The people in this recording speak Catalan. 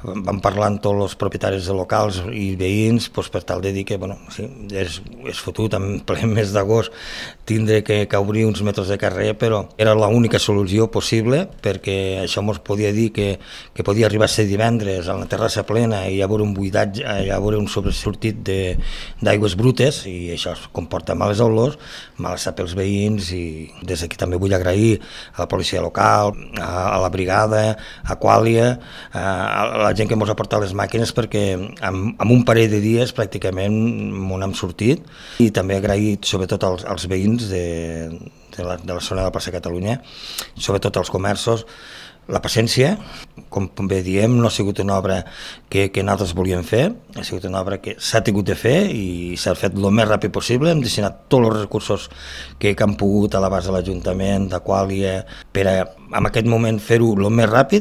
vam parlar amb tots els propietaris de locals i veïns per tal de dir que sí, és fotut en ple mes d'agost tindre que obrir uns metres de carrer, però era l'única solució possible, perquè això ens podia dir que podia arribar a ser divendres a la terrassa plena i hi haver un buidatge, hi haver un sobresortit d'aigües brutes, i això comporta males olors, malestar pels veïns, i des d'aquí també vull agrair a la policia local, a la brigada, a Quàlia, a la gent que ens ha portat les màquines, perquè en un parell de dies pràcticament m'ho hem sortit, i també agrair sobretot als veïns de la zona de la plaça Catalunya, sobretot als comerços, la paciència. Com bé diem, no ha sigut una obra que nosaltres volíem fer, ha sigut una obra que s'ha tingut de fer i s'ha fet el més ràpid possible. Hem destinat tots els recursos que han pogut a l'abast de l'Ajuntament, de Quàlia, per en aquest moment fer-ho el més ràpid